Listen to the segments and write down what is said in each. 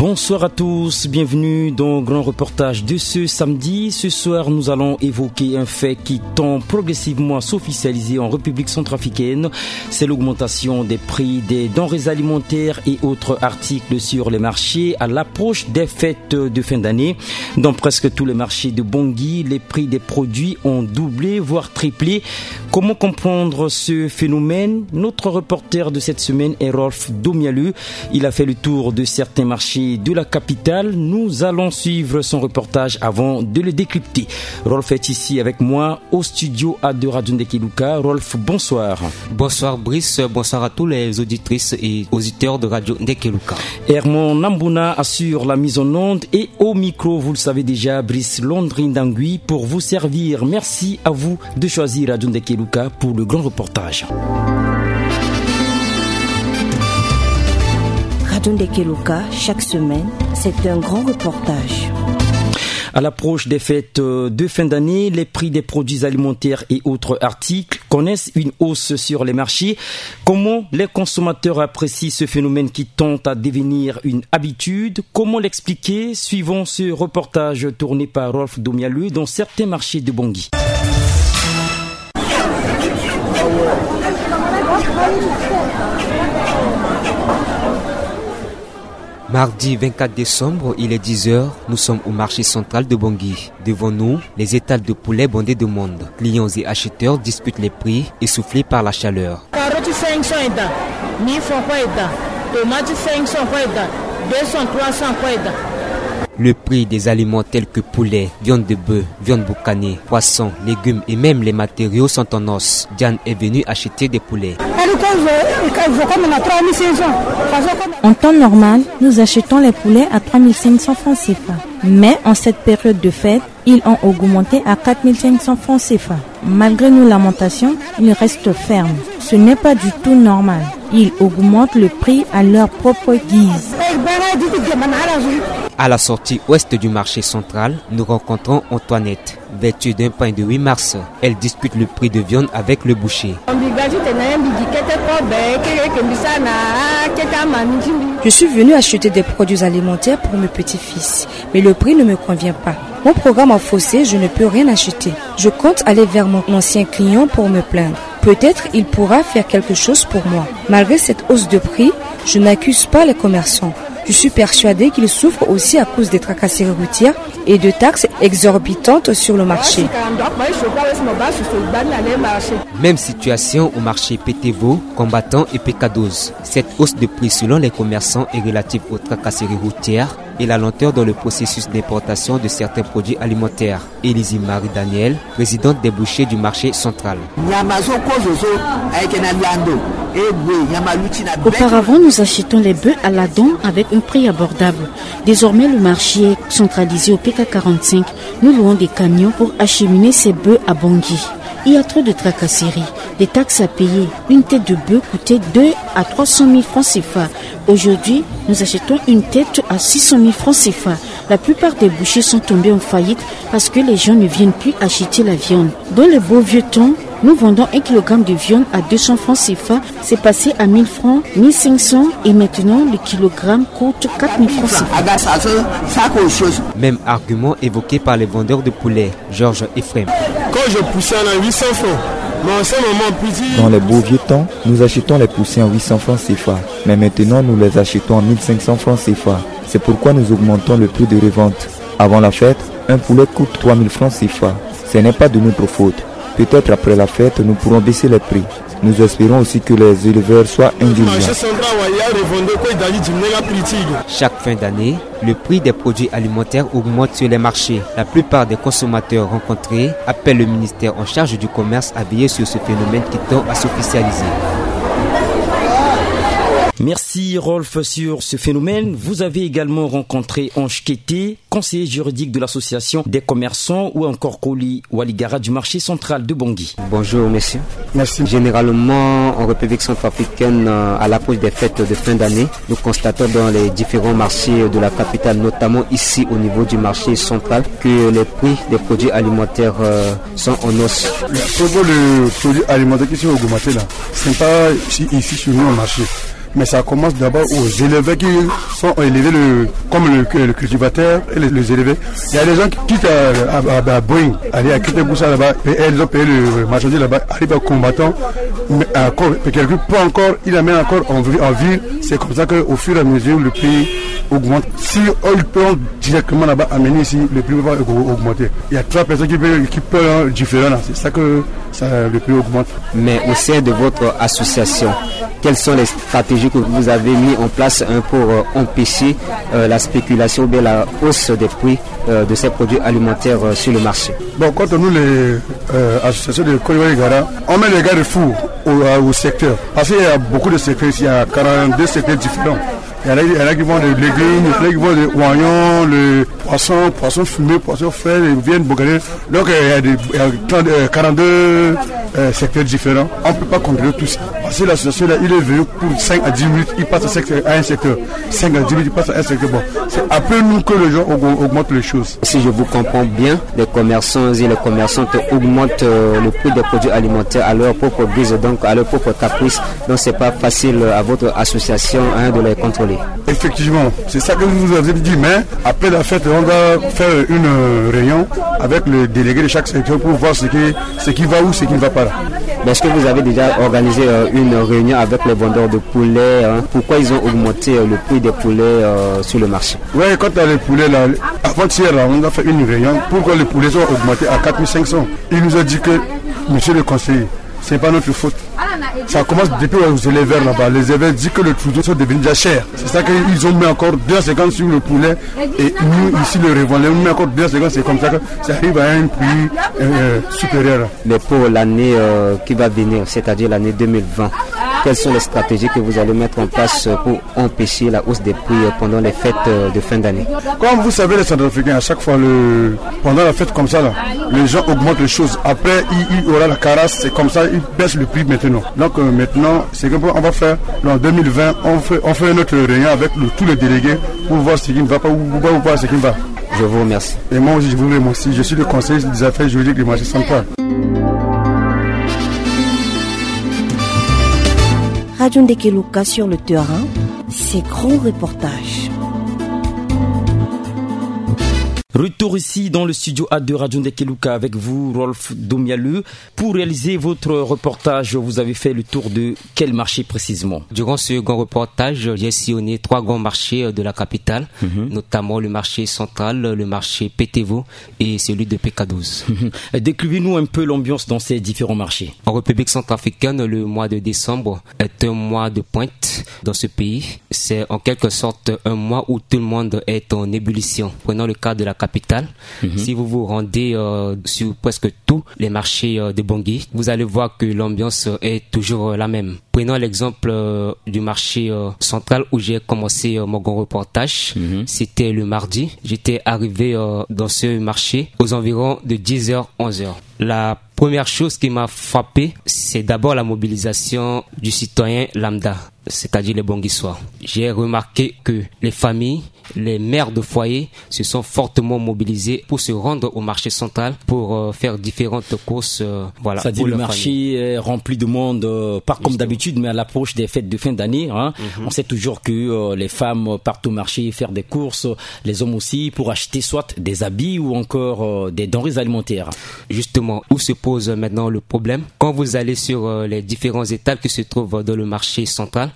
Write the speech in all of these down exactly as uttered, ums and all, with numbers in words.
Bonsoir à tous, bienvenue dans le grand reportage de ce samedi. Ce soir, nous allons évoquer un fait qui tend progressivement à s'officialiser en République centrafricaine. C'est l'augmentation des prix des denrées alimentaires et autres articles sur les marchés à l'approche des fêtes de fin d'année. Dans presque tous les marchés de Bangui, les prix des produits ont doublé, voire triplé. Comment comprendre ce phénomène ? Notre reporter de cette semaine est Rolf Domialeu. Il a fait le tour de certains marchés de la capitale. Nous allons suivre son reportage avant de le décrypter. Rolf est ici avec moi au studio A de Radio Ndekeluka. Rolf, bonsoir. Bonsoir Brice, bonsoir à tous les auditrices et auditeurs de Radio Ndekeluka. Hermon Nambuna assure la mise en onde et au micro, vous le savez déjà, Brice Londrindangui pour vous servir. Merci à vous de choisir Radio Ndekeluka pour le grand reportage. Radio Ndekeluka, chaque semaine, c'est un grand reportage. À l'approche des fêtes de fin d'année, les prix des produits alimentaires et autres articles connaissent une hausse sur les marchés. Comment les consommateurs apprécient ce phénomène qui tend à devenir une habitude ? Comment l'expliquer ? Suivons ce reportage tourné par Rolf Domialeu dans certains marchés de Bangui. Mardi vingt-quatre décembre, il est dix heures, nous sommes au marché central de Bangui. Devant nous, les étals de poulet bondés de monde. Clients et acheteurs discutent les prix, essoufflés par la chaleur. Carotte cinq cents eda, mille francs kue eda, tomate cinq cents kue eda, deux cents, trois cents kue eda. Le prix des aliments tels que poulet, viande de bœuf, viande boucanée, poisson, légumes et même les matériaux sont en hausse. Diane est venue acheter des poulets. En temps normal, nous achetons les poulets à trois mille cinq cents francs C F A. Mais en cette période de fête, ils ont augmenté à quatre mille cinq cents francs C F A. Malgré nos lamentations, ils restent fermes. Ce n'est pas du tout normal. Ils augmentent le prix à leur propre guise. À la sortie ouest du marché central, nous rencontrons Antoinette. Vêtue d'un pagne de huit mars, elle discute le prix de viande avec le boucher. Je suis venue acheter des produits alimentaires pour mes petits-fils, mais le prix ne me convient pas. Mon programme a faussé, je ne peux rien acheter. Je compte aller vers mon ancien client pour me plaindre. Peut-être il pourra faire quelque chose pour moi. Malgré cette hausse de prix, je n'accuse pas les commerçants. Je suis persuadée qu'ils souffrent aussi à cause des tracasseries routières et de taxes exorbitantes sur le marché. Même situation au marché Petevo, Combattant et Pekadoz. Cette hausse de prix selon les commerçants est relative aux tracasseries routières et la lenteur dans le processus d'importation de certains produits alimentaires. Élisée Marie-Daniel, présidente des bouchers du marché central. Auparavant, nous achetons les bœufs à la dent avec un prix abordable. Désormais, le marché est centralisé au P K quarante-cinq. Nous louons des camions pour acheminer ces bœufs à Bangui. Il y a trop de tracasseries, des taxes à payer. Une tête de bœuf coûtait deux à trois cent mille francs C F A. Aujourd'hui, nous achetons une tête à six cent mille francs C F A. La plupart des bouchers sont tombés en faillite parce que les gens ne viennent plus acheter la viande. Dans les beaux vieux temps, nous vendons un kilogramme de viande à deux cents francs C F A. C'est passé à mille francs, mille cinq cents et maintenant le kilogramme coûte quatre mille francs C F A. Même argument évoqué par les vendeurs de poulet, Georges Ephraim. Quand je poussais à huit cents francs, mais en ce moment, on peut dire... Dans les beaux vieux temps, nous achetons les poussins à huit cents francs C F A, mais maintenant nous les achetons à mille cinq cents francs C F A. C'est pourquoi nous augmentons le prix de revente. Avant la fête, un poulet coûte trois mille francs C F A. Ce n'est pas de notre faute. Peut-être après la fête, nous pourrons baisser les prix. Nous espérons aussi que les éleveurs soient indulgents. Chaque fin d'année, le prix des produits alimentaires augmente sur les marchés. La plupart des consommateurs rencontrés appellent le ministère en charge du commerce à veiller sur ce phénomène qui tend à s'officialiser. Merci Rolf sur ce phénomène. Vous avez également rencontré Ange Kété, conseiller juridique de l'association des commerçants, ou encore Koli Waligara du marché central de Bangui. Bonjour monsieur. Merci. Généralement en République centrafricaine, euh, à l'approche des fêtes de fin d'année, nous constatons dans les différents marchés de la capitale, notamment ici au niveau du marché central, que les prix des produits alimentaires, euh, sont en hausse. Le produit alimentaire qui sont augmentés là, ce n'est pas ici, ici sur nous au marché. Mais ça commence d'abord aux éleveurs qui sont élevés le, comme le, le cultivateur et les, les éleveurs. Il y a des gens qui quittent à, à, à Boeing, aller à Kitegusa là-bas, et ils ont payé le marchandise là-bas, arrive à combattant, mais encore, quelqu'un peut encore, il amène encore en, vi- en ville. C'est comme ça qu'au fur et à mesure, le prix augmente. Si on le prend directement là-bas, amener ici, le prix va aug- augmenter. Il y a trois personnes qui payent, qui payent un différent là. C'est ça que ça, le prix augmente. Mais au sein de votre association, quelles sont les stratégies que vous avez mises en place, hein, pour, euh, empêcher, euh, la spéculation ou bien la hausse des prix, euh, de ces produits alimentaires, euh, sur le marché ? Bon, quand nous, les, euh, associations de Kodiwari Gara, on met les garde-fous au, au secteur. Parce qu'il y a beaucoup de secteurs ici, il y a quarante-deux secteurs différents. Il y en a, il y en a qui vendent des légumes, il y en a qui vendent des oignons, le poisson, poisson fumé, poisson frais, les viandes bourgagnées. Donc, euh, il y a des, il y a trente, euh, quarante-deux, euh, secteurs différents. On ne peut pas contrôler tout ça. Parce que l'association, là, il est venu pour cinq à dix minutes, il passe à, secteur, à un secteur. Cinq à dix minutes, il passe à un secteur. Bon, c'est après nous que les gens aug- augmentent les choses. Si je vous comprends bien, les commerçants et les commerçantes augmentent, euh, le prix des produits alimentaires à leur propre guise, donc à leur propre caprice. Donc, c'est pas facile, euh, à votre association, hein, de les contrôler. Effectivement, c'est ça que vous avez dit, mais après la fête, on va faire une, euh, réunion avec le délégué de chaque secteur pour voir ce qui, ce qui va ou ce qui ne va pas là. Mais est-ce que vous avez déjà organisé, euh, une réunion avec les vendeurs de poulet, hein ? Pourquoi ils ont augmenté, euh, le prix des poulets, euh, sur le marché ? Ouais, quand tu as les poulets là, avant-hier là, on a fait une réunion pour que les poulets soient augmentés à quatre mille cinq cents. Il nous a dit que, monsieur le conseiller, c'est pas notre faute. Ça commence depuis aux éleveurs là-bas. Les éleveurs disent que les troupeaux sont devenus déjà chers. C'est ça qu'ils ont mis encore deux cinquante sur le poulet. Et nous, ici, le revendeur, on met encore deux cinquante. C'est comme ça que ça arrive à un prix, euh, supérieur. Mais pour l'année, euh, qui va venir, c'est-à-dire l'année deux mille vingt, quelles sont les stratégies que vous allez mettre en place pour empêcher la hausse des prix, euh, pendant les fêtes, euh, de fin d'année ? Comme vous savez, les Centrafricains, à chaque fois, le, pendant la fête comme ça, là, les gens augmentent les choses. Après, il, il y aura la carasse, c'est comme ça, ils baissent le prix maintenant. Donc, euh, maintenant, c'est que on va faire, en deux mille vingt, on fait, on fait notre réunion avec le- tous les délégués pour voir ce qui ne va pas ou, ou, ou voir ce qui va. Je vous remercie. Et moi aussi, je vous remercie. Je suis le conseiller des affaires juridiques du marché central. Radio Ndekeluka sur le terrain, ces grands reportages. Retour ici dans le studio A de Radio Ndekeluka avec vous, Rolf Domialeux. Pour réaliser votre reportage, vous avez fait le tour de quel marché précisément ? Durant ce grand reportage, j'ai sillonné trois grands marchés, euh, de la capitale, notamment le marché central, le marché Petevo et celui de P K douze. Décrivez-nous un peu l'ambiance dans ces différents marchés. En République centrafricaine, le mois de décembre est un mois de pointe dans ce pays. C'est en quelque sorte un mois où tout le monde est en ébullition. Prenons le cas de la capitale. Si vous vous rendez, euh, sur presque tous les marchés, euh, de Bangui, vous allez voir que l'ambiance, euh, est toujours, euh, la même. Prenons l'exemple, euh, du marché, euh, central où j'ai commencé, euh, mon grand reportage. C'était le mardi. J'étais arrivé, euh, dans ce marché aux environs de dix heures, onze heures. La première chose qui m'a frappé, c'est d'abord la mobilisation du citoyen lambda, c'est-à-dire les Banguissois. J'ai remarqué que les familles, les mères de foyer se sont fortement mobilisés pour se rendre au marché central pour, euh, faire différentes courses, euh, voilà. Ça dit, le marché est rempli de monde, euh, pas comme d'habitude, mais à l'approche des fêtes de fin d'année, hein, on sait toujours que, euh, les femmes partent au marché faire des courses, les hommes aussi, pour acheter soit des habits ou encore, euh, des denrées alimentaires. Justement, où se pose maintenant le problème ? Quand vous allez sur, euh, les différents étals qui se trouvent dans le marché central,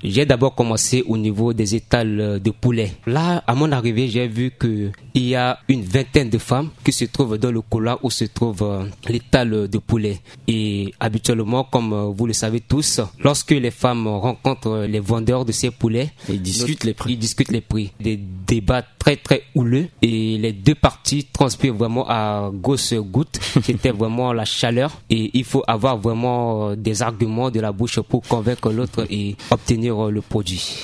j'ai d'abord commencé au niveau des étals, euh, de poulet. Là, à mon arrivée, j'ai vu que il y a une vingtaine de femmes qui se trouvent dans le couloir où se trouve, euh, l'étal de poulet. Et habituellement, comme, euh, vous le savez tous, lorsque les femmes rencontrent les vendeurs de ces poulets, ils discutent les prix. Ils discutent les prix. Des débats très, très houleux. Et les deux parties transpirent vraiment à grosses gouttes. C'était vraiment la chaleur. Et il faut avoir vraiment, euh, des arguments de la bouche pour convaincre l'autre et obtenir, euh, le produit.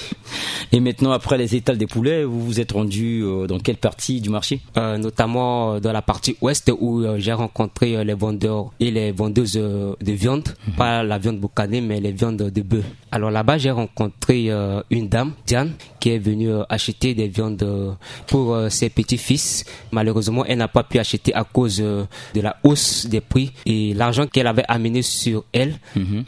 Et maintenant, après les étals de poulet, Vous vous êtes rendu, euh, dans quelle partie du marché ? Euh, notamment, euh, dans la partie ouest où, euh, j'ai rencontré, euh, les vendeurs et les vendeuses, euh, de viande, pas la viande boucanée, mais les viandes de bœuf. Alors là-bas, j'ai rencontré, euh, une dame, Diane, qui est venue, euh, acheter des viandes, euh, pour, euh, ses petits-fils. Malheureusement, elle n'a pas pu acheter à cause, euh, de la hausse des prix. Et l'argent qu'elle avait amené sur elle,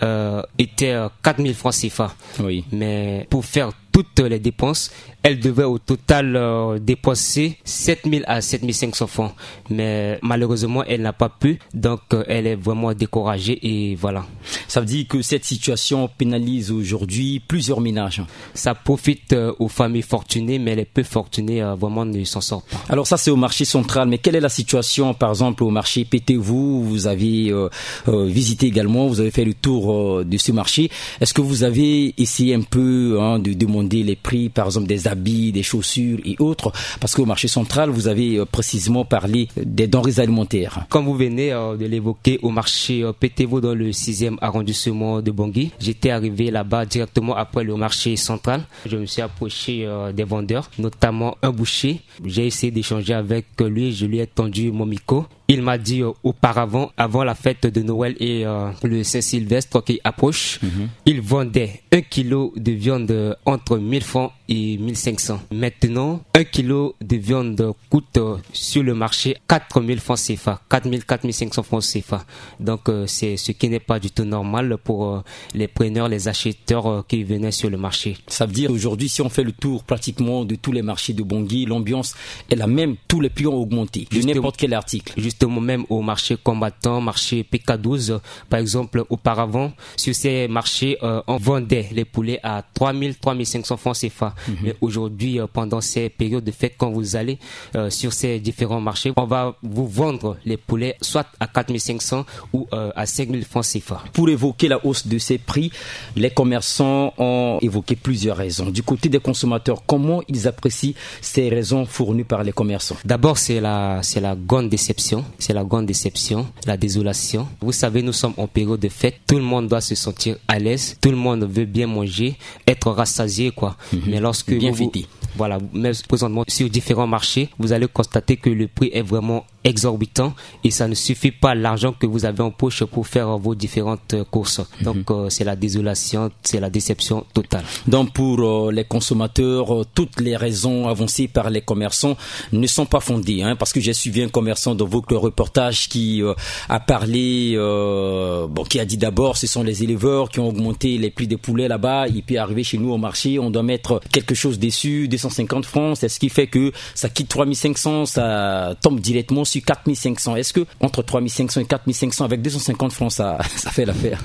euh, était, euh, quatre mille francs C F A. Oui. Mais pour faire toutes les dépenses, elle devait au total, euh, dépenser sept mille à sept mille cinq cents francs. Mais malheureusement, elle n'a pas pu. Donc, euh, elle est vraiment découragée et voilà. Ça veut dire que cette situation pénalise aujourd'hui plusieurs ménages. Ça profite, euh, aux familles fortunées, mais les peu fortunés, euh, vraiment ne s'en sortent pas. Alors ça, c'est au marché central. Mais quelle est la situation, par exemple, au marché Pétévou ? Vous avez, euh, euh, visité également, vous avez fait le tour, euh, de ce marché. Est-ce que vous avez essayé un peu, hein, de demander les prix, par exemple, des habits, des chaussures et autres ? Parce qu'au marché central, vous avez, euh, précisément parlé des denrées alimentaires. Comme vous venez, euh, de l'évoquer, au marché, euh, Pétévou, dans le sixième arrondissement de Bangui, j'étais arrivé là-bas directement après le marché central. Je me suis approché, euh, des vendeurs, notamment un boucher. J'ai essayé d'échanger avec lui, je lui ai tendu mon micro. Il m'a dit, euh, auparavant, avant la fête de Noël et, euh, le Saint-Sylvestre qui approche, il vendait un kilo de viande, euh, entre mille francs et mille cinq cents. Maintenant, un kilo de viande coûte, euh, sur le marché quatre mille francs C F A, quatre mille, quatre mille cinq cents francs C F A. Donc, euh, c'est ce qui n'est pas du tout normal pour, euh, les preneurs, les acheteurs, euh, qui venaient sur le marché. Ça veut dire aujourd'hui, si on fait le tour pratiquement de tous les marchés de Bangui, l'ambiance est la même. Tous les prix ont augmenté de n'importe quel article. Justement, même au marché Combattant, marché P K douze, par exemple, auparavant, sur ces marchés, euh, on vendait les poulets à trois mille, trois mille cinq cents francs C F A. Mais aujourd'hui, euh, pendant ces périodes de fête, quand vous allez, euh, sur ces différents marchés, on va vous vendre les poulets soit à quatre mille cinq cents ou, euh, à cinq mille francs C F A. Pour évoquer la hausse de ces prix, les commerçants ont évoqué plusieurs raisons. Du côté des consommateurs, comment ils apprécient ces raisons fournies par les commerçants ? D'abord, c'est la, c'est la grande déception. C'est la grande déception, la désolation. Vous savez, nous sommes en période de fête. Tout le monde doit se sentir à l'aise. Tout le monde veut bien manger, être rassasié, quoi. Mais lorsque bien vous, fêter. Voilà, mais présentement, sur différents marchés, vous allez constater que le prix est vraiment exorbitant et ça ne suffit pas l'argent que vous avez en poche pour faire vos différentes, euh, courses. Donc, euh, c'est la désolation, c'est la déception totale. Donc, pour, euh, les consommateurs, euh, toutes les raisons avancées par les commerçants ne sont pas fondées, hein, parce que j'ai suivi un commerçant dans votre reportage qui, euh, a parlé, euh, bon, qui a dit d'abord, ce sont les éleveurs qui ont augmenté les prix des poulets là-bas. Il peut arriver chez nous au marché, on doit mettre quelque chose dessus, deux cent cinquante francs. C'est ce qui fait que ça quitte trois mille cinq cents, ça tombe directement sur quatre mille cinq cents. Est-ce que entre trois mille cinq cents et quatre mille cinq cents, avec deux cent cinquante francs, ça, ça fait l'affaire ?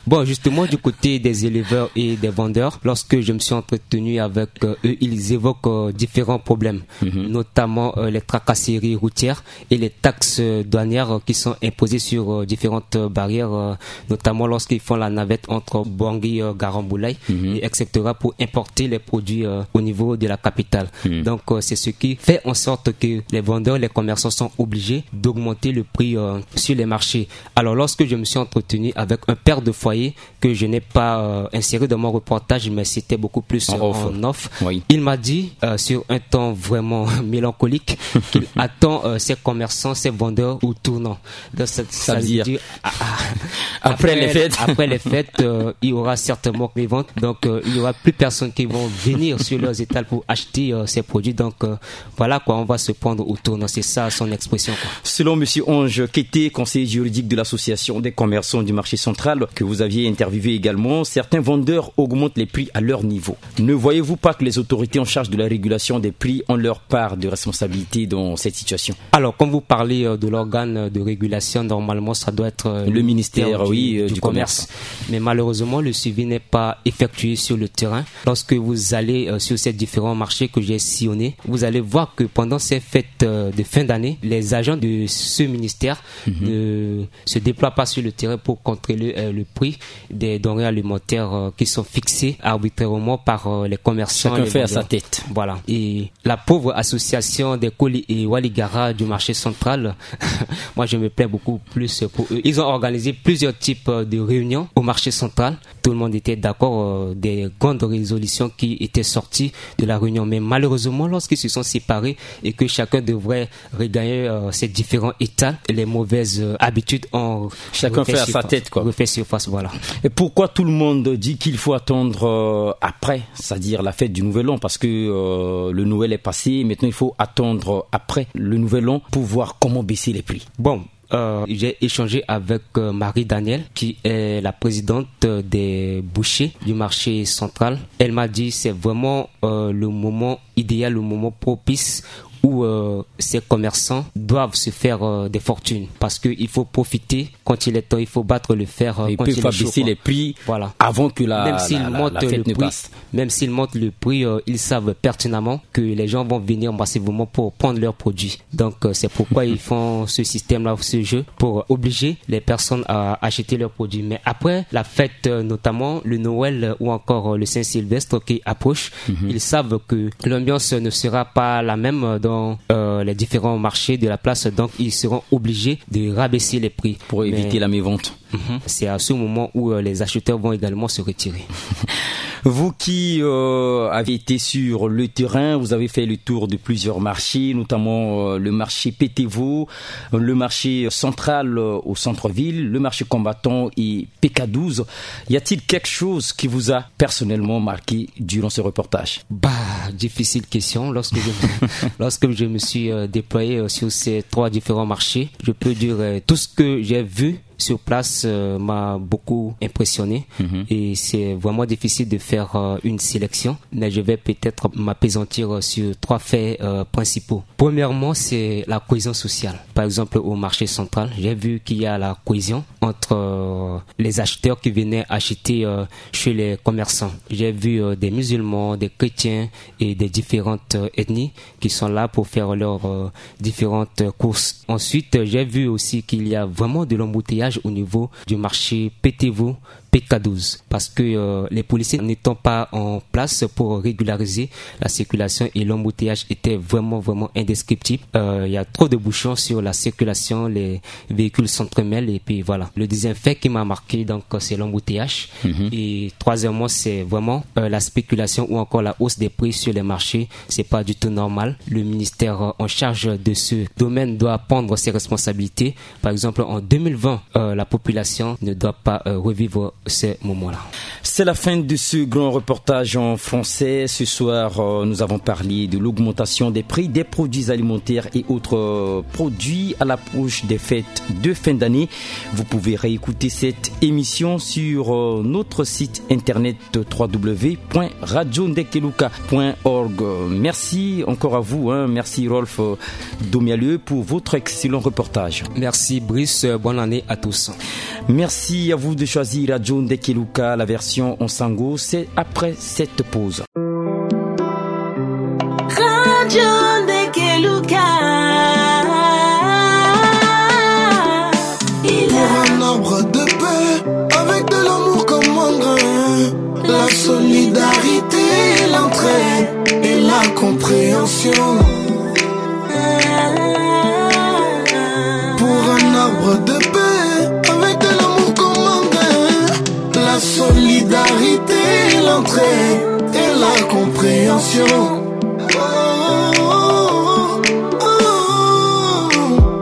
Bon, justement, du côté des éleveurs et des vendeurs, lorsque je me suis entretenu avec, euh, eux, ils évoquent, euh, différents problèmes, notamment, euh, les tracasseries routières et les taxes, euh, douanières, euh, qui sont imposées sur, euh, différentes, euh, barrières, euh, notamment lorsqu'ils font la navette entre Bangui, euh, Garamboulaye, et et cetera, pour importer les produits, euh, au niveau de la capitale. Donc, euh, c'est ce qui fait en sorte que les vendeurs, les commerçants sont obligés d'augmenter le prix, euh, sur les marchés. Alors, lorsque je me suis entretenu avec un père de foyer que je n'ai pas, euh, inséré dans mon reportage, mais c'était beaucoup plus, euh, en off, il m'a dit, euh, sur un ton vraiment mélancolique, qu'il attend, euh, ses commerçants, ses vendeurs au tournant. Donc, ça, ça veut dire, ah, ah, après les fêtes, après les fêtes, euh, il y aura certainement les ventes. Donc, euh, il y aura plus personne qui vont venir sur leurs étals pour acheter, euh, ces produits. Donc, euh, voilà quoi, on va se prendre au tournant. C'est ça son expression, quoi. Selon monsieur Ange Kété, conseiller juridique de l'association des commerçants du marché central, que vous aviez interviewé également, certains vendeurs augmentent les prix à leur niveau. Ne voyez-vous pas que les autorités en charge de la régulation des prix ont leur part de responsabilité dans cette situation ? Alors, quand vous parlez, euh, de l'organe de régulation, normalement, ça doit être, euh, le ministère, oui, du, euh, du commerce. Mais malheureusement, le suivi n'est pas effectué sur le terrain. Lorsque vous allez, euh, sur ces différents marchés que j'ai sillonnés, vous allez voir que pendant ces fêtes, euh, de fin d'année, les agents de ce ministère ne se déploient pas sur le terrain pour contrôler euh, le prix des denrées alimentaires euh, qui sont fixées arbitrairement par euh, les commerçants. Chacun fait à sa tête. Voilà. Et la pauvre association des colis et waligara du marché central, moi je me plains beaucoup plus pour eux. Ils ont organisé plusieurs types de réunions au marché central. Tout le monde était d'accord euh, des grandes résolutions qui étaient sorties de la réunion. Mais malheureusement, lorsqu'ils se sont séparés et que chacun devrait regagner euh, ces différents états, les mauvaises euh, habitudes ont chacun fait à sa tête, quoi. Refait surface, voilà. Et pourquoi tout le monde dit qu'il faut attendre euh, après, c'est-à-dire la fête du Nouvel An, parce que euh, le Noël est passé, maintenant il faut attendre après le Nouvel An pour voir comment baisser les prix. Bon, euh, j'ai échangé avec euh, Marie Daniel, qui est la présidente euh, des bouchers du marché central. Elle m'a dit c'est vraiment euh, le moment idéal, le moment propice où euh, ces commerçants doivent se faire euh, des fortunes, parce qu'il faut profiter quand il est temps, il faut battre le fer euh, quand il est chaud. Il peut pas baisser les prix avant que la, la, la, la fête ne passe. Même s'ils montent le prix, euh, ils savent pertinemment que les gens vont venir massivement pour prendre leurs produits. Donc euh, c'est pourquoi ils font ce système-là, ce jeu, pour obliger les personnes à acheter leurs produits. Mais après la fête, euh, notamment le Noël euh, ou encore euh, le Saint-Sylvestre qui approche, ils savent que l'ambiance ne sera pas la même dans euh, les différents marchés de la place. Donc ils seront obligés de rabaisser les prix. Pour éviter la mévente. Mhm. C'est à ce moment où euh, les acheteurs vont également se retirer. Vous qui euh, avez été sur le terrain, vous avez fait le tour de plusieurs marchés, notamment euh, le marché Pétévo, le marché central euh, au centre-ville, le marché Combattant et P K douze. Y a-t-il quelque chose qui vous a personnellement marqué durant ce reportage ? Bah, difficile question. Lorsque je, lorsque je me suis euh, déployé euh, sur ces trois différents marchés, je peux dire euh, tout ce que j'ai vu sur place euh, m'a beaucoup impressionné. Mhm. Et c'est vraiment difficile de faire euh, une sélection, mais je vais peut-être m'appesantir euh, sur trois faits euh, principaux. Premièrement, c'est la cohésion sociale. Par exemple, au marché central, j'ai vu qu'il y a la cohésion entre euh, les acheteurs qui venaient acheter euh, chez les commerçants. J'ai vu euh, des musulmans, des chrétiens et des différentes euh, ethnies qui sont là pour faire leurs euh, différentes courses. Ensuite, j'ai vu aussi qu'il y a vraiment de l'embouteillage au niveau du marché Pétévo, P K douze, parce que euh, les policiers n'étant pas en place pour régulariser la circulation, et l'embouteillage était vraiment, vraiment indescriptible. Euh, il y a trop de bouchons sur la circulation, les véhicules s'entremêlent et puis voilà. Le deuxième fait qui m'a marqué, donc, c'est l'embouteillage. Mhm. Et troisièmement, c'est vraiment euh, la spéculation ou encore la hausse des prix sur les marchés. C'est pas du tout normal. Le ministère euh, en charge de ce domaine doit prendre ses responsabilités. Par exemple, en deux mille vingt, euh, la population ne doit pas euh, revivre ces moments-là. C'est la fin de ce grand reportage en français. Ce soir, euh, nous avons parlé de l'augmentation des prix des produits alimentaires et autres euh, produits à l'approche des fêtes de fin d'année. Vous pouvez réécouter cette émission sur euh, notre site internet w w w point radio ndekeluka point org. Merci encore à vous, hein. Merci Rolf euh, Domialeux pour votre excellent reportage. Merci Brice, euh, bonne année à tous. Merci à vous de choisir Radio Ndekeluka, la version en sango, c'est après cette pause. Radio Ndekeluka. Pour un arbre de paix, avec de l'amour comme engrais, la solidarité, l'entraide et la compréhension. Pour un arbre de paix, avec de l'amour comme engrais, la solidarité, l'entraide et la compréhension. Oh, oh, oh.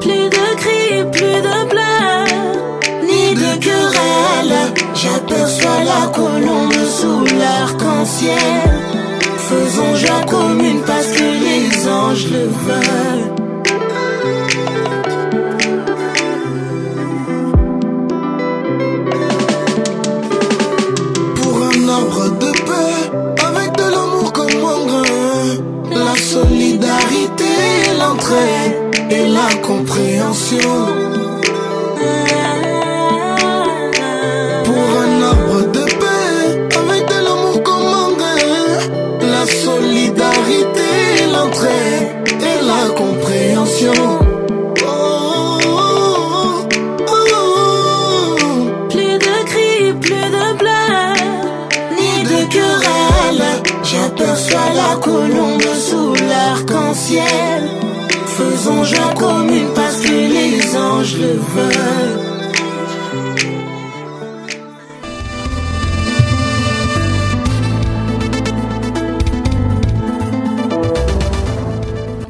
Plus de cris, plus de pleurs, ni de querelles. J'aperçois la colombe sous l'arc-en-ciel. Faisons joie commune parce que les anges le veulent. Pour un arbre de paix, avec de l'amour comme engrais, la solidarité, l'entraide et la compréhension. Pour un arbre de paix, avec de l'amour comme engrais, la solidarité, l'entraide et la compréhension. Faisons joie commune parce que les anges le veulent.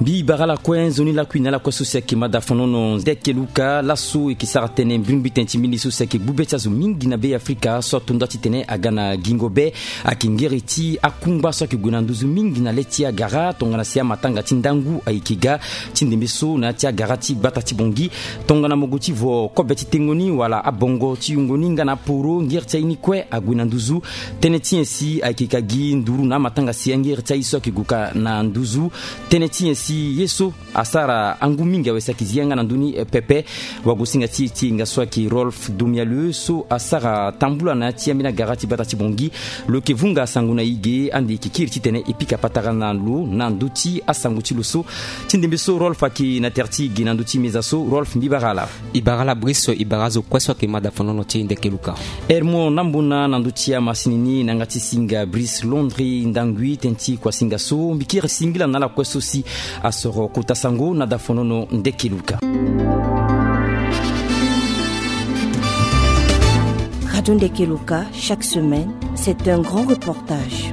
Mbi bara ala kue nzoni lakui na ala kue so si ayeke mada fonono ndeke luka laso e yeke sara tënë mbrimbri tënë ti mbeni so si ayeke gbu be ti azo mingi na be Afrika so ato nda titene aga na gingo be. Ayeke ngere ti akungba so ayeke gue na nduzu mingi na le ti agara tongana si amatanga ti ndangu ayeke ga ti ndembe so na ya ti agara ti gbata ti Bongi. Tongana mo gue ti vo kobe ti tengo ni wala abongo ti yungo ni nga na aporo ngere ti aye ni kue ague na nduzu. Tënë ti nyen si ayeke ka gi nduru na amatanga si angere ti aye so ayeke gue ka na nduzu. Tënë ti nyen si ye so asara angu mingi awe si ayeke zi yanga na ndö ni, eh, pepe. Wagosinga ti e ti e nga so ayeke Rolf Domialeux so asara tambula na ya ti ambeni agara ti gbata ti Bongi. Lo yeke vunga sango na e ge ande e yeke kiri titene e pika patara na lo na ndö ti asango ti lo so. Ti ndembe so Rolf ayeke na tere ti e ge na ndö ti meza so. Rolf, mbi bara ala. E bara ala briso, e bara azo kue so ayeke mada fonono ti e ndeke luka. Hermon Nambona na ndö ti amasini ni na yanga ti singa Brice Londre Ndangui tënë ti kuasinga so. Mbi kiri singila na ala kue so si asoro kota sango na da fonono ndeke luka. Radio Ndeke Luka, chaque semaine, c'est un grand reportage.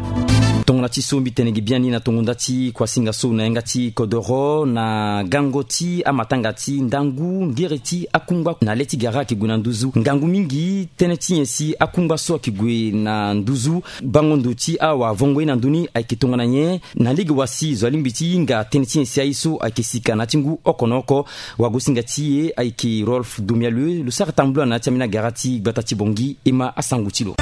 Tongana ti so mbi tene ge biani na tongo nda ti kuasinga so na yanga ti kodoro na gango ti amatanga ti ndangu ngere ti akungba na le ti gara ayeke gue na nduzu. Ngangu mingi tënë ti nyen si akungba so ayeke gue na nduzu. Bango ndo ti awavongo ye na ndö ni ayeke tongana nyen? Na lege wa si zo alingbi ti hinga tënë ti nyen si aye so ayeke sika na ya ti ngu oko na oko. Wagosinga ti e ayeke Rolf Domialeux, lo sara tambula na ya ti ambeni agara ti gbata ti Bongi. E ma asango ti lo.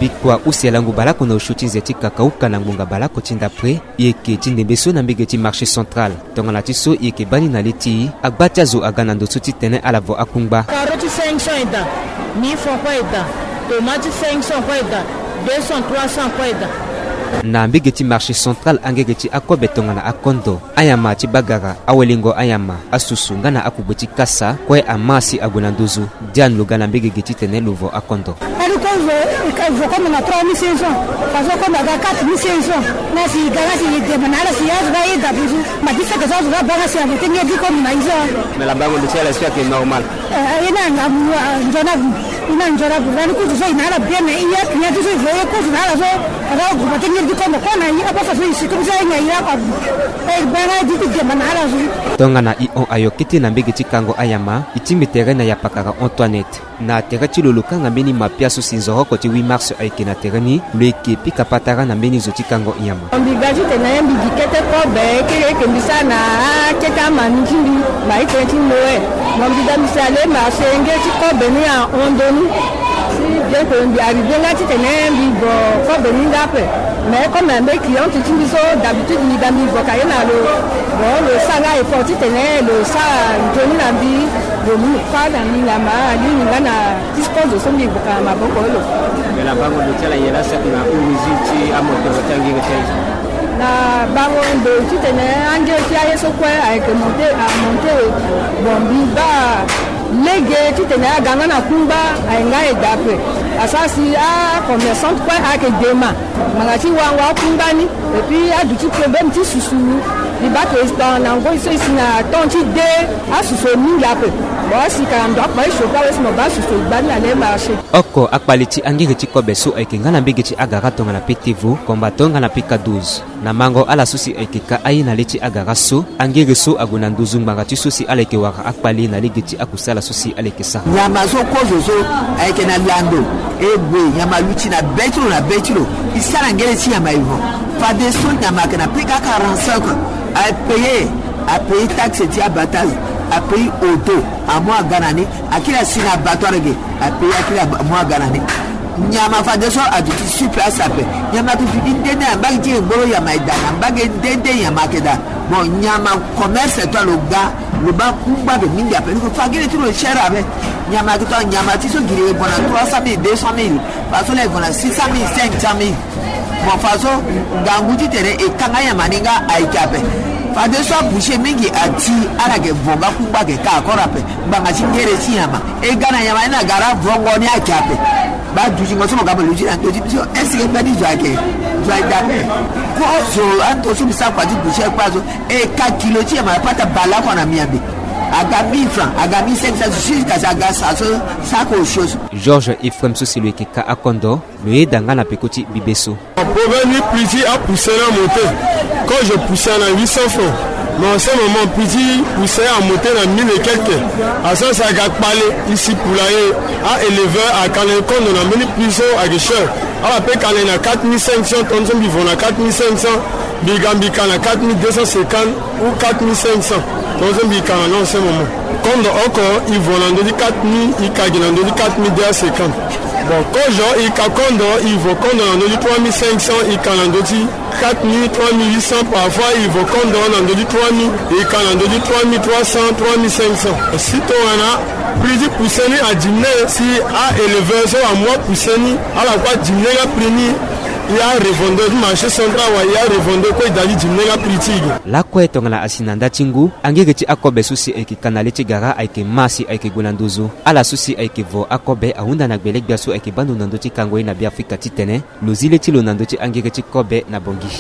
Bikua use langu baleoko na osio ti nze ti kakauka na ngbonga baleoko ti ndapre. E yeke ti ndembe so na mbege ti marché central. Tongana ti so e yeke baa ni na le ti e, agba ti azo aga na ndo so titene ala vo akungba. Karo ti cinq cents e daa, mille francs kue e daa, tomate ti cinq cents kue e daa, deux cents, trois cents kue e daa. Na mbege ti marché central angege ti akobe tongana akondo, anyama ti bagara, awelengo anyama, asusu nga na akugbe ti kasa kue ama si ague na nduzu. Diane lo ga na mbege ge titene lo vo akondo. Kadi kozo e ka vo kondo na trois mille cinq cents. Faso kondo aga quatre mille cinq cents. Nga si e ga nga si e dema na ala si azo ga ayeda buzu. Ma ti seke so azo ga baa nga si avo ti ngeri ti kondo na e so. Mais labango ndo ti ala so ayeke normal. Eh, e na nga nzoni abu. E na nzoni abu. Lani kuzu so e na ala bien, mais e ya client ti so e vo e kuzu na ala so. Faso aguba ti ngeri ti kondo kue na e, abaa faso e si comme ça e nga e ya kua abu. E baa nga e di ti dema na ala so. Tongana e hon ayo kete na mbege ti kango anyama, e tingbi tere na yapakara Antoinette. Na tere ti lo, lo kanga mbeni mapia so si nzoroko ti huit mars ayeke na tere ni, lo yeke pika patara na mbeni zo ti kango nyama. Mbi ga titene mbi gi kete kobe, keke mbi sara na akete amani ti mbi, ma e tene ti Noël. Mo mbi ga mbi si ale marché nge ti kobe ni ahon ndoni. Si bientôt mbi arrivé nga titene mbi vo kobe ni nga ape. Mais comme mbe cliente ti mbi so, d'habitude mbi ga mbi vo ka ye na lo. Bon, lo sara nga effort titene lo sara nzoni na mbi. Lo mu fa na mbi nyama alingbi nga na ti sikozo so mbi vo ka na maboko lo. Mais labango ndo ti ala nyen la saki na origine ti amoteur ti angere ti aye so? Na bango ndo titene angere ti aye so kue ayeke monté, amonté. Bon, mbi baa lege titene aga nga na kungba aye nga aye daa ape. Asara si acommerçante kue ayeke dema. Ngbanga ti wango akungba ni. Et puis aduti problème ti susu. Mbi baa tongana ngoi so e si na temps ti de, asusu e mingi ape. Bon, asi ka na ndo akpa ti chauffe awe si mo baa susu e gba ni na le marché. Oko akpali ti angere ti kobe so ayeke nga na mbege ti agara tongana P T V, Combattant nga na P K douze. Na mango ala so si ayeke ka aye na le ti agara so, angere so ague na nduzu ngbanga ti so si ala yeke wara akpali na lege ti akusala so si ala yeke sara. Nyama so kozo so ayeke na lando, e gue nyama luti na be ti lo na be ti lo. E sara ngere ti nyama e vo. Fadeso nyama ayeke na P K quarante-cinq, apaye, apaye taxe ti abattage, apaye auto, amu aga na ni, akiri asi na abattoir ge, apaye akiri amu aga na ni. Nyama fadeso aduti sur place ape. Nyama ayeke fini nde nde na mbage ti e, ngboro nyama e daa, na mbage nde nde nyama ayeke daa. Bon, nyama commerce toi lo ga, lo baa kungba ge mingi ape. Lo yeke fa gere ti lo cher ape. Nyama ayeke toi nyama ti so giri e vo na trois cent mille, deux cent mille. Faso la e vo na six cent mille, cinq cent mille. Bon, faso ngangu titene e kanga nyama ni nga ayeke ape. Fadeso aboucher mingi ati ala yeke vo nga kungba ayeke ka akora ape. Ngbanga ti ngere ti nyama e ga na nyama ni na gara vongo ni ayeke ape. Ba dutingo so mo ga mo luti na ndö ti biso, est-ce que mbeni zo ayeke zo aye dape? Kozo ando so mbi sara kua ti boucher kpâ so, e ka kilo ti nyama apata baleoko na miambe. Aga mille francs, aga mille cinq cents, jusqu'à sa aga sa so, sa ko osio so. Georges Ephraim so si lo yeke ka akondo, lo yeda nga na peko ti bibe so. Problème ni prix ti apousse ni amonte. Kozo pousse na huit cents francs. Mais en ce moment, prix ti pousse amonte na mille et quelques. Asara si aga kpale, isi poulailler, a éleveur aka na e kondo na mbeni prix so ayeke cher. Ala pe ka na e na quatre mille cinq cents, tongaso mbi vo na quatre mille cinq cents, mbi ga mbi ka na quatre mille deux cent cinquante ou quatre mille cinq cents. Tongaso mbi ka na ni en ce moment. Kondo oko e vo na ndö ti quatre mille, e ka gi na ndö ti quatre mille deux cent cinquante. Bon, kozo e ka kondo, e vo kondo na ndö ti trois mille cinq cents, e ka na ndö ti quatre mille, trois mille huit cents, parfois e vo kondo na ndö ti trois mille, e ka na ndö ti trois mille trois cents, trois mille cinq cents. Si tongana prix ti pousse ni adiminué, si a éleveur so amu apousse ni, ala kue adiminué nga prix ni, e a revendeur ti marché central wala e a revendeur kue e da ti diminué nga prix ti e ge. Lakue tongana asi na nda ti ngu, angege ti akobe so si ayeke ka na le ti gara ayeke ma si ayeke gue na nduzu. Ala so si ayeke vo akobe ahunda na gbele-gbia so ayeke baa ndo na ndö ti kango ye na Beafrika titene lo zi le ti lo na ndö ti angege ti kobe na Bangui.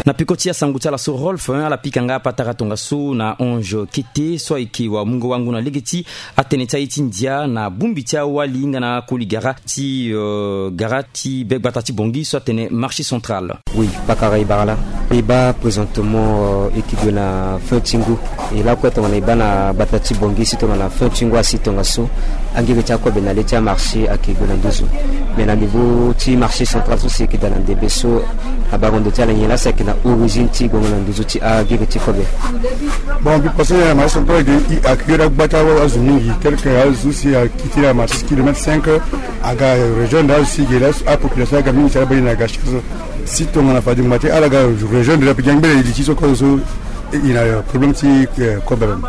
Na peko ti asango ti ala so Rolf, hein, ala pika nga apatara tongaso na Ange Kete so ayeke wamungo wango na lege ti atene ti aye ti ndia na bongbi ti awali nga na akoli gara ti, euh, gara ti be gbata ti Bangui so atene marché central. Oui, pakara e bara laa. E baa présentement, euh, e yeke gue na fin ti ngu. E lakue tongana e baa na gbata ti Bangui si tongana fin ti ngu asi tongaso, angege ti akobe na le ti amarché ayeke gue na nduzu. Mais na niveau ti marché central so si e yeke daa na ndembe so, abango ndo ti ala nyen laa si ayeke na origine ti gongo na nduzu ti angege ti kobe? Bon, mbi pense na marché central ayeke, ayeke iri agba ti azo mingi, tel que azo so si akiti na marché kilomètre cinq, aga rejoindre azo si ge laa, apopulation aga mingi si ala baa e na ga chaise. Si tongana fade ngba ti ala ga rejoindre ape, gi angbele e li ti so kozo so, e na problème ti, eh, kobe ape.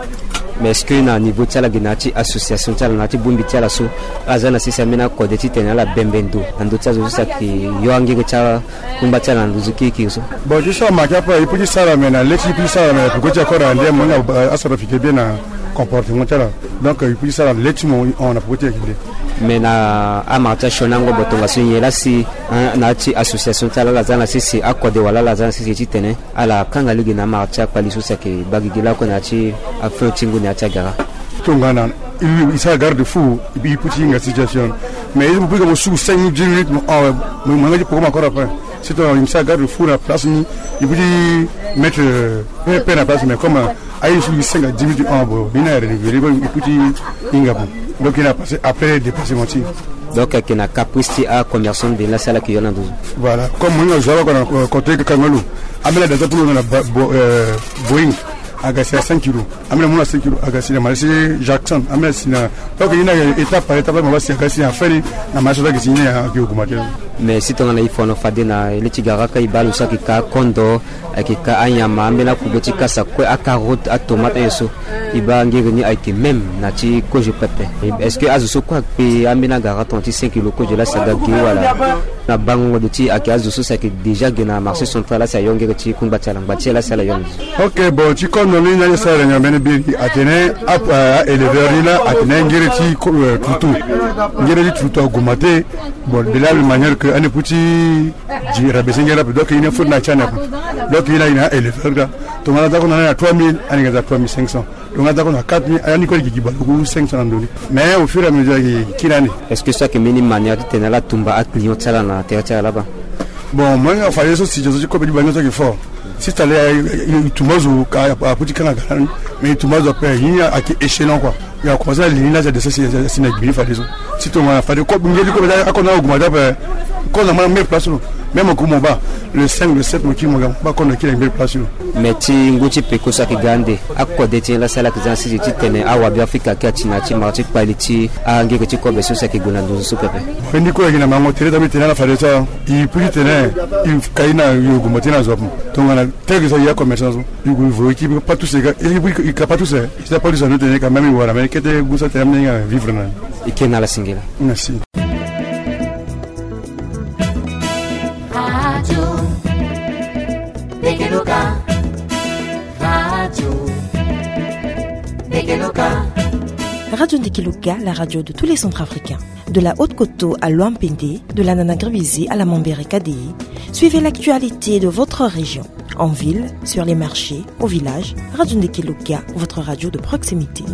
Mais est-ce que na niveau ti ala ge na ya ti association ti ala na ya ti bongbi ti ala so, ala za na sese ambeni akode titene ala bembe ndo na ndö ti azo so si ayeke yo angege ti akungba ti ala na nduzu kirikiri so? Bon, ti so amake ape, e peut ti sara, mais na le ti e peut ti sara, mais na peko ti akora ande mo nga asara fike bien na comportement ti ala. Donc e peut ti sara na le ti mo e hon na peko ti e ayeke nde. Mais na amara ti asioni ango bo tongaso nyen laa si, hein, na ya ti association ti ala, ala za na sese akode wala ala za na sese titene ala kanga lege na amara ti akpali so si ayeke baa gigi lakue na ya ti afin ti ngu na ya ti agara? Tongana e, e sara garde fou, e peut ti hinga situation. Mais e peut ti ga mo su cinq minutes, dix minutes, mo hon, mo, mo yanga ti poko mo akora ape. Si tongana e sara garde fou na place ni, e peut ti mettre, euh, pe, pe na place, mais comme, euh, aye so e senga dix minutes, ah, bon, e na renouveler, e peut ti hinga bon. Donc e na passer après dépassement ti. Donc ayeke na caprice ti acommerçant de la sala ki yo na nduzu. Voilà, comme mo hinga zo ala ko na, euh, côté Kangalo. Ambeni adaptation pour lo na ba, bo, euh, Boeing. Aga si na cinq kilos. Ambeni amu na cinq kilos. Aga si na marché Jackson. Ambeni asi na. Donc e na étape par étape, mo baa si aga si na fin ni na marché so ayeke si ni ayeke augmenter. Mais si tongana e fono fade na le ti gara ka e baa lo so ayeke ka kondo, ayeke ka anyama, ambeni akube ti kasa kue, acarotte, atomate, aye so. E baa ngere ni ayeke même na ti kozo pepe. Est-ce que azo so kue akpe ambeni agara tongana ti cinq kilos kozo laa si aga ge wala? Na bango ndo ti ayeke azo so si ayeke déjà ge na marché central laa si ayo ngere ti kungba ti ala, ngba ti ala si ala yo. Ok, bon, ti kondo ni na ni sara réunion mbeni biri atene a, a, a éleveur ni laa atene ngere ti ko, euh, tutu. Ngere ti tutu augmenter. Bon, de la même manière que ande peut ti di rabaisser ngere ape, donc e na faute na ti ande ape. Donc e na, e na éleveur laa. Tongana aza ko na ni na trois mille, ande nga aza trois mille cinq cents. Tongana aza ko na quatre mille, ande kue ayeke gi baleoko cinq cents na ndo ni. Mais au fur et à mesure ayeke kiri ande. Est-ce que so ayeke mbeni manière titene ala tumba aclient ti ala na tere ti ala laba? Bon, mo hinga fade so situation ti kobe ti bango so ayeke fort. Si tale, e, e, e tumba zo ka, a, a, a peut ti kanga gara ni. Mais e tumba zo ape, e ni ayeke échelon quoi. E a commencé na li ni laa si adescend si, si, si na gbi ni fade so. Si tongana fade kobe, ngere ti kobe laa akondo augmenter ape. Kondo na meilleure place lo. Même ko mo baa le cinq, le sept mo kiri mo ga mo baa kondo akiri na meilleure place lo. Mais ti ngu ti peko so ayeke ga ande, akode ti nyen laa si ala yeke za na sese titene awabe Afrika ayeke ati na ya ti mara ti kpali ti angere ti kobe so si ayeke gue na nduzu so pepe. Bon, e ni kue ayeke na mango tere, daa mbi tene ala fade so. E peut ti tene e ka e na yogo mo ti na zo ape. Tongana tel que ça, e a commerçant so. E gue e vo e ki pas tous e ka, e ka pas tous e. E sa pas tous e, ando tene quand même e wara, mais kete gu so atene ambeni nga vivre na ni. E ke na ala singila. Merci. Radio Ndekeloka, la radio de tous les Centrafricains. De la Haute-Koto à Loampende, de la Nanagribizé à la Mambere Kadéi, suivez l'actualité de votre région. En ville, sur les marchés, au village, Radio Ndekeloka, votre radio de proximité.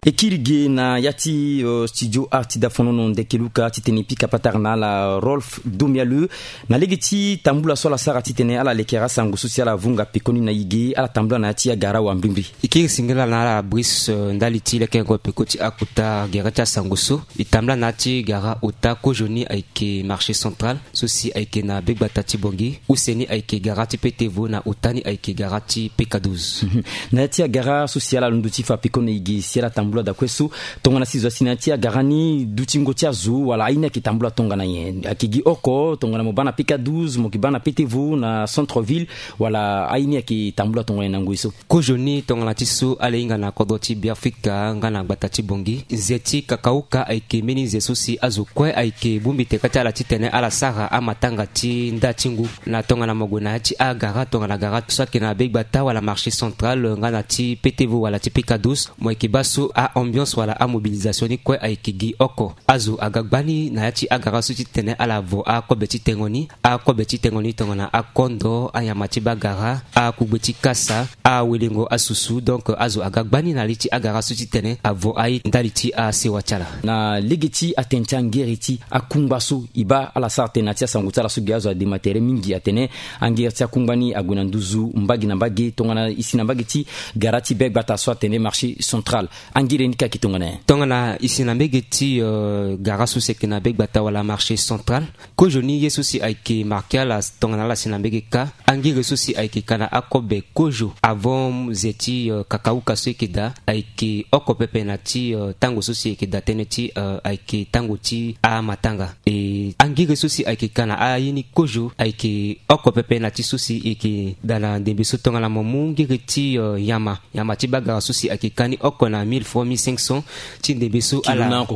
E kiri ge na ya ti, euh, studio art ti dafonono Ndekeloka titene e pika patara na ala Rolf Domialeu. Na lege ti tambula so ala sara titene ala lekere asango so si ala vunga pekoni na e ge, ala tambula na ya ti agara wa mbrimbri. E kiri singila na ala Brice, euh, ndali ti lekerengo peko ti akota gere ti asango so. E tambula na ya ti gara ota kozoni ayeke marché central, so si ayeke na begbata ti Bangui, use ni ayeke gara ti P T V na ota ni ayeke gara ti P K douze. Mhm. Na ya ti agara so si ala londo ti fa peko na e ge si ala tambula dakue so, tongana si zo asi na ya ti agara ni dutingo ti azo wala aye ni ayeke tambula tongana nyen? Ayeke gi oko, tongana mo baa na P K douze, mo yeke baa na P T V na centre ville, wala aye ni ayeke tambula tongana nyen na ngoi so? Kozoni tongana ti so ala hinga na kodro ti Beafrika nga na gbata ti Bangui, nze ti kakauka ayeke mbeni nze so si azo kue ayeke bongbi teka ti ala titene ala sara amatanga ti nda ti ngu. Na tongana mo gue na ya ti agara, tongana gara so ayeke na begbata wala marché central nga na ti P T V wala ti P K douze, mo yeke baa so a-ambiance wala amobilisation ni kue ayeke gi oko. Azo aga gbani na ya ti agara so titene ala vo akobe ti tengo ni, akobe ti tengo ni tongana akondo, anyama ti bagara, akugbe ti kasa, awelengo asusu. Donc azo aga gbani na li ti agara so titene avo aye ndali ti asewa ti ala. Na lege ti atene ti angere ti akungba so e baa ala sara tënë na ya ti asango ti ala so ge azo adema tere mingi atene angere ti akungba ni ague na nduzu mbage na mbage tongana e si na mbage ti gara ti begbata so atene marché central. Angere ni kâ ayeke tongana nyen? Tongana e si na mbage ti, euh, gara so si ayeke na begbata wala marché central, kozoni ye so si ayeke marqué ala tongana ala si na mbage kâ. Angere so si ayeke ka na akobe kozo avant ze ti, euh, kakauka so e yeke daa ayeke oko pepe na ti, euh, tango so si e yeke daa tënë ti, euh, ayeke tango ti amatanga. E angere so si ayeke ka na aye ni kozo ayeke oko pepe na ti so si e yeke daa na ndembe so tongana mo mu ngere ti, euh, nyama. Nyama ti bagara so si ayeke ka ni oko na mille francs, mille cinq cents. Ti ndembe so ala,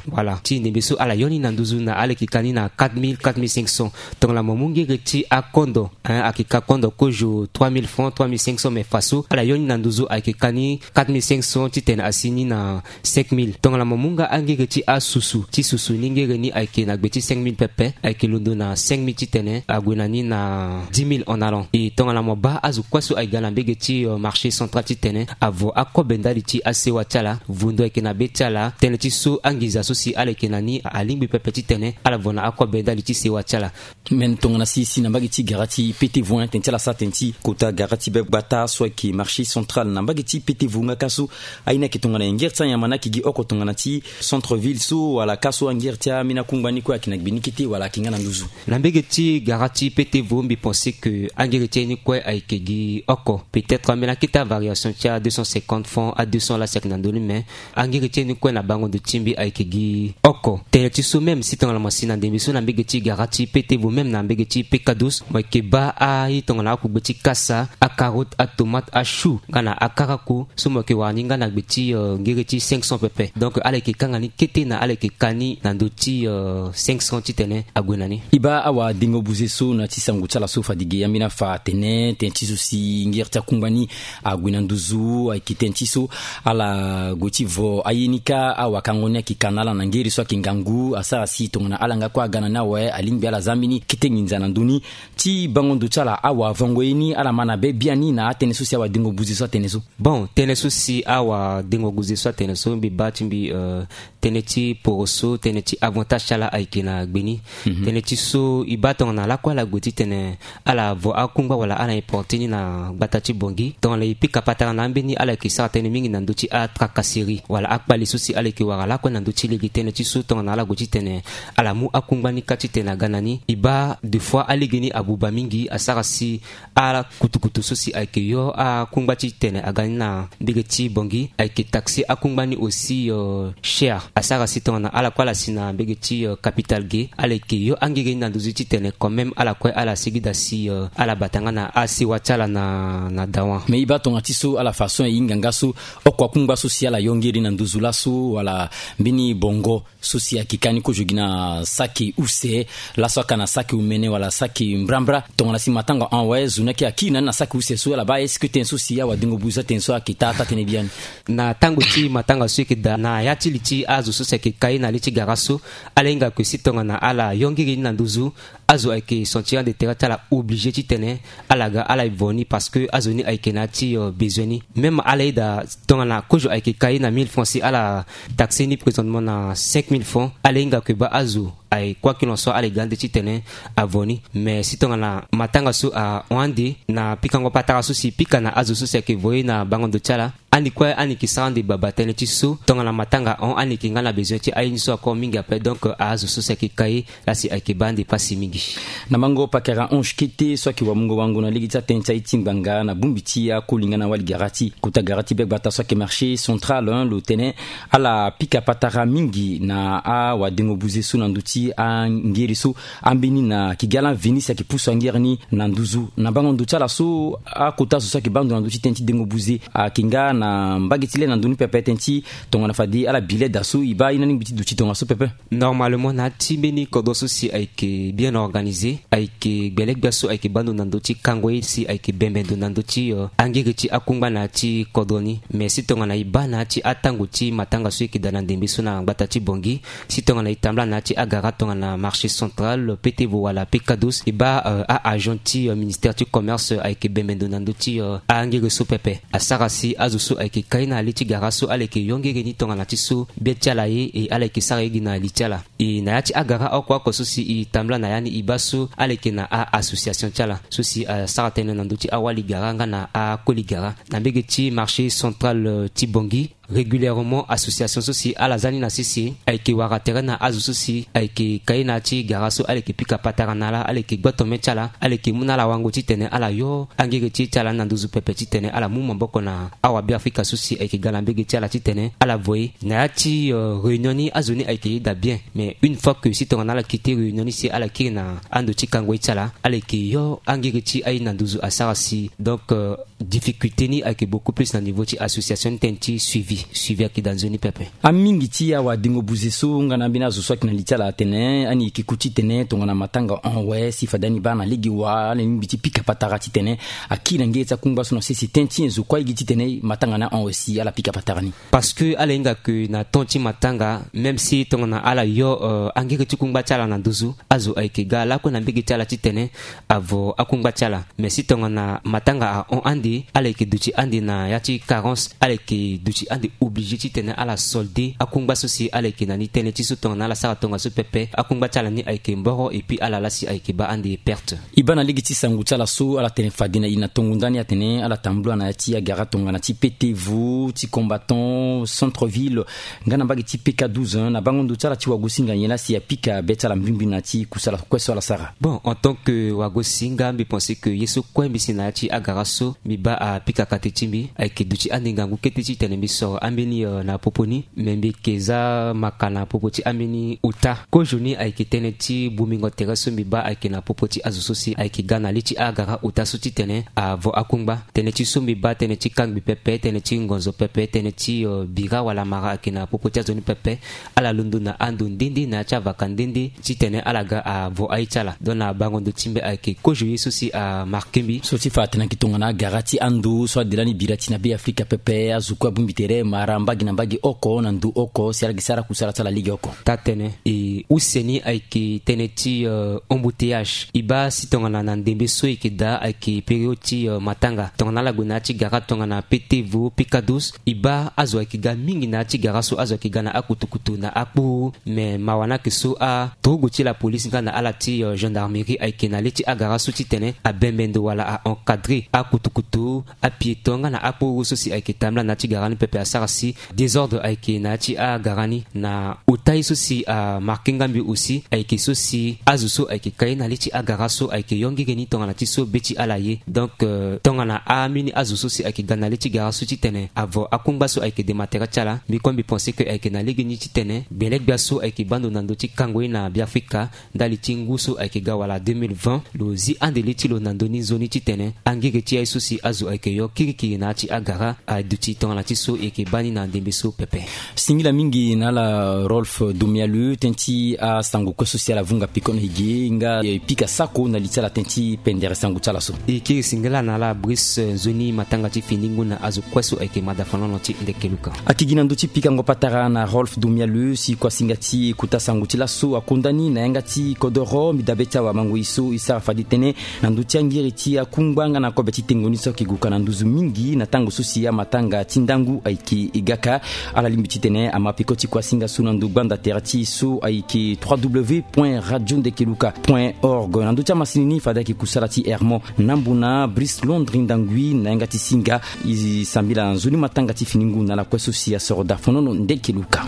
voilà, ti ndembe so ala yo ni na nduzu na ala yeke ka ni na quatre mille, quatre mille cinq cents. Tongana mo mu ngere ti akondo, hein, ayeke ka kondo kozo trois mille francs, trois mille cinq cents, mais faso ala yo ni na nduzu ayeke ka ni quatre mille cinq cents titene asi ni na cinq mille. Tongana mo mu nga angere ti asusu, ti susu ni ngere ni ayeke na gbe ti cinq mille pepe, ayeke londo na cinq mille titene ague na ni na dix mille en allant. E tongana mo baa azo kue so ayeke ga na mbege ti, euh, marché central titene avo akobe ndali ti asewa ti ala, vondo ayeke na be ti ala, tënë ti so anginza so si ala yeke na ni alingbi pepe titene ala vo na akobe ndali ti sewa ti ala. Me tongana si e si na mbage ti gara ti P T V, tënë ti ala sara tënë ti kota gara ti be gbata so ayeke marché central na mbage ti P T V nga ka so, aye ni ayeke tongana nyen? Ngere ti anyama ni ayeke gi oko tongana ti centre ville so, wala ka so angere ti ambeni akungba ni kue ayeke na gbe ni kete wala ayeke nga na nduzu? Na mbege ti gara ti P T V mbi pense que angere ti aye ni kue ayeke gi oko. Peut-être ambeni akete avariation ti a deux cent cinquante francs, a deux cents la si ayeke na ndö ni, me angere ti aye ni kue na bango ndo ti mbi ayeke gi oko. Tënë ti so même si tongana mo si na ndembe so na mbege ti gara ti P T V, même na mbege ti P K douze, mo yeke baa aye tongana akugbe ti kasa, acarotte, atomate, achou, nga na akaraku, so mo yeke wara ni nga na gbe ti, euh, ngere ti cinq cents pepe. Donc ala yeke kanga ni kete na ala yeke ka ni na ndö ti, euh, cinq cents titene ague na ni. E baa awadengo buze so na ti sango ti ala so fade ge ambeni afa atene tënë ti so si ngere ti akungba ni ague na nduzu ayeke tënë ti so ala gue ti vo aye ni kâ, awakango ni ayeke ka na ala na ngere so ayeke ngangu, asara si tongana ala nga kue aga na ni awe alingbi ala za mbeni kete nginza na ndö ni. Ti bango ndo ti ala, awavango ye ni ala ma na be biani na atënë so si awadengo buze so atene so? Bon, tënë so si awadengo buze so atene so mbi baa ti mbi, euh, tënë ti poroso, tënë ti avantage ti ala ayeke na gbe ni. Mhm. Tënë ti so e baa tongana lakue ala gue titene ala vo akungba wala ala importe ni na gbata ti Bangui, tongana e pika patara na ambeni ala yeke sara tënë mingi na ndö ti atracasserie wala akpale so si ala yeke wara lakue na ndö ti lege. Tënë ti so tongana ala gue titene ala mu akungba ni kâ titene aga na ni, e baa des fois alege ni abuba mingi, asara si ala kutukutu so si ayeke yo akungba titene aga ni na mbege ti Bangui ayeke taxe akungba ni aussi, euh, cher. Asara si tongana ala kue ala si na mbege ti, euh, capitale ge, ala yeke yo angege ni na nduzu titene quand même ala kue ala sigi daa si, euh, ala bata nga na asewa ti ala na, na dawa. Mais e baa tongana ti so ala façon e hinga nga so oko akungba so si ala ayo ngiri na nduzu laso wala mbeni bongo so si ayeke ka ni kozo gi na saki use laso aka na saki omene wala saki mbrambra. Tongana si matanga hon awe zo ni ayeke akiri na ni na saki use so ala baa est-ce que tënë so si awadengo buze atene so ayeke taa taa tënë biani? Na tango ti matanga so eke daa na ya ti li ti azo so si ayeke ka ye na li ti gara so, ala hinga ke si tongana ala yo ngiri ni na nduzu, azo ayeke sentir ande tere ti ala oblige titene ala ga ala vo ni parce que azo ni ayeke na ya ti besoin ni. Même ala ye daa tongana kozo ayeke ka ye na mille francs si ala taxe ni présentement na cinq mille francs, ala hinga ke baa azo aye quoi qu'il en soit ala ye ga ande titene avo ni. Mais si tongana matanga so ahon ande na pikango patara so si pika na azo so si ayeke vo ye na bango ndo ti ala, ani kue ani yeke sara ande baba tënë ti so tongana matanga ahon ani yeke nga na besoin ti aye ni so akor mingi ape. Donc azo so si ayeke ka ye la si ayeke baa ande pasi mingi. Na mango pakara ange kete so ayeke wamungo wango na lege ti atënë ti aye ti ngbanga na bongbi ti akoli nga na wali gara ti kota gara ti be gbata so ayeke marché central lo tene ala pika patara mingi na awadengo buze so na ndö ti angere so. Ambeni na kigala venise ayeke pusu angere ni na nduzu na bango ndo ti ala so akota zo so ayeke baa ndo na ndö ti tënë ti dengo buze ayeke nga na mbage ti le na ndö ni pepe tënë ti tongana fade ala bi leda so e baa ye na lingbi ti duti tongaso pepe. Normalement na ya ti mbeni kodro so si ayeke bien organisé, ayeke gbele gbia so ayeke baa ndo na ndö ti kango ye si ayeke bembe ndo na ndö ti angere ti akungba na ya ti kodro ni. Mais si tongana e baa na ya ti atango ti matanga so e yeke daa na ndembe so na gbata ti bongi, si tongana e tambula na ya ti agara tongana marché central pete vo wala pekados e baa a-agent ti ministère ti commerce ayeke bembe ndo na ndö ti angere so pepe. Asara si azo so ayeke ka ye na li ti gara so ala yeke yo ngere ni tongana ti so be ti ala ye e ala yeke sara ye gi na li ti ala. E na ya ti agara oko oko so si e tambula na ya ni e baa so ala yeke na a-association ti ala so si asara tënë na ndö ti awali gara nga na akoli gara na mbege ti marché central ti bongi. Régulièrement association so si ala za ni na sese ayeke wara tere na azo so si ayeke ka ye na ya ti gara so ala yeke pika patara na ala ala yeke gboto mê ti ala ala yeke mu na ala wango titene ala yo angege ti ye ti ala ni na nduzu pepe titene ala mu maboko na awabiafrika so si ayeke ga na mbege ti ala titene ala vo ye. Na ya ti réunion ni azo ni ayeke yeda bien. Mais une fois que si tongana ala kite réunion ni si ala kiri na ando ti kango ye ti ala ala yeke yo angege ti aye na nduzu asara si donc difficulté ni ayeke beaucoup plus na niveau ti association ni tënë ti suivi suivi ayeke daa nzoni pepe. Amingi ti awadengo buze so nga na ambeni azo so ayeke na li ti ala atene ani yeke ku titene tongana matanga hon awe si fade ani baa na lege wa ala lingbi ti pika patara titene akiri na ngere ti akungba so na sese tënë ti nyen zo kue aye gi titene matanga ni ahon awe si ala pika patara ni? Parce que ala hinga ke na temps ti matanga même si tongana ala yo angere ti kungba ti ala na nduzu azo ayeke ga lakue na mbege ti ala titene avo akungba ti ala. Mais si tongana matanga ahon ande ala yeke duti ande na ya ti carence ala yeke duti ande oblige titene ala solde akungba so si ala yeke na ni tënë ti so tongana ala sara tongaso pepe akungba ti ala ni ayeke mboro et puis ala la si ayeke baa ande perte. E baa na lege ti sango ti ala so ala tene fade na e na tongo ndani atene ala tambula na ya ti agara tongana ti pete vo ti combattant centre ville nga na mbage ti peka douze na bango ndo ti ala ti wagosinga nyen la si apika be ti ala mbimbri na ya ti kusala kue so ala sara? Bon en tant que wagosinga mbi pense que ye so kue mbi si na ya ti agara so mbi baa apika kate ti mbi ayeke duti ande ngangu kete titene mbi soro ambeni na popo ni. Me mbi yeke za maka na popo ti ambeni ota kozo ni ayeke tënë ti bomingo tere so mbi baa ayeke na popo ti azo so si ayeke ga na li ti agara ota so titene avo akungba tënë ti so mbi baa tënë ti kangbi pepe tënë ti ngonzo pepe tënë ti bira wala mara ayeke na popo ti azo ni pepe. Ala londo na ando nde nde na ya ti avaka nde nde titene ala ga avo aye ti ala donc na bango ndo ti mbi ayeke kozo ye so si amarke mbi. So ti fa atene ayeke tongana agara ti ando so ade lani bira ti na be afrika pepe azo kue abongbi tere mara mbage na mbage oko na ndo oko si ala yeke sara kusala ti ala lege oko. Taa tënë e use ni ayeke tënë ti embouteillage e baa si tongana na ndembe so e yeke daa ayeke période ti matanga tongana ala gue na ya ti gara tongana pete vo pekados e baa azo ayeke ga mingi na ya ti gara so azo ayeke ga na akutukutu na akpuru. Me mawa ni ayeke so aturugu ti lapolisi nga na ala ti gendarmerie ayeke na le ti agara so titene abembe ndo wala a-encadre akutukutu apiéton nga na akpuru so si ayeke tambula na ya ti gara ni pepe asara si désordre ayeke na ya ti agara ni na ota ye so si amarke nga mbi aussi ayeke so si azo so ayeke ka ye na le ti agara so ayeke yo ngege ni tongana ti so be ti ala ye. Donc tongana ambeni azo so si ayeke ga na le ti gara so titene avo akungba so ayeke dema tere ti ala mbi kue mbi pense que ayeke na lege ni titene gbele gbia so ayeke baa ndo na ndö ti kango ye na beafrika ndali ti ngu so ayeke ga wala deux mille vingt lo zi ande li ti lo na ndö ni nzoni titene angege ti aye so si azo ayeke yo kirikiri na ya ti agara aduti tongana ti so e yeke Bani na ndembe so pepe. Singila mingi na ala Rolf Domialu, ten ti asango kue so si ala vunga piko na higi nga e pika sako na li ti ala ten ti pendere sango ti ala so. E kiri singila na ala Brice, nzoni matanga ti fini ngu na azo kue so ayeke mada fanono ti ndeke luka. Akigi na ndö ti pikango patara na Rolf Domialu si kuasinga ti kota sango ti laso akonda ni na yanga ti kodoro mbi dabe ti awamango e so e sara fade tënë na ndö ti angiri ti akungba nga na kobe ti tengo ni so ayeke guka na nduzu mingi na tango so si amatanga ti ndangu ayeke e gaka. Ala lingbi titene ama peko ti kuasinga so na ndo gbanda tere ti e so ayeke trois w point radio ndeke luka point org. Na ndö ti amasini ni fade ayeke kusala ti Hermon Nambona, Brice Londri Ndangui na yanga ti singa. E sambila nzoni matanga ti fini ngu na ala kue so si asoro da fonono ndeke luka.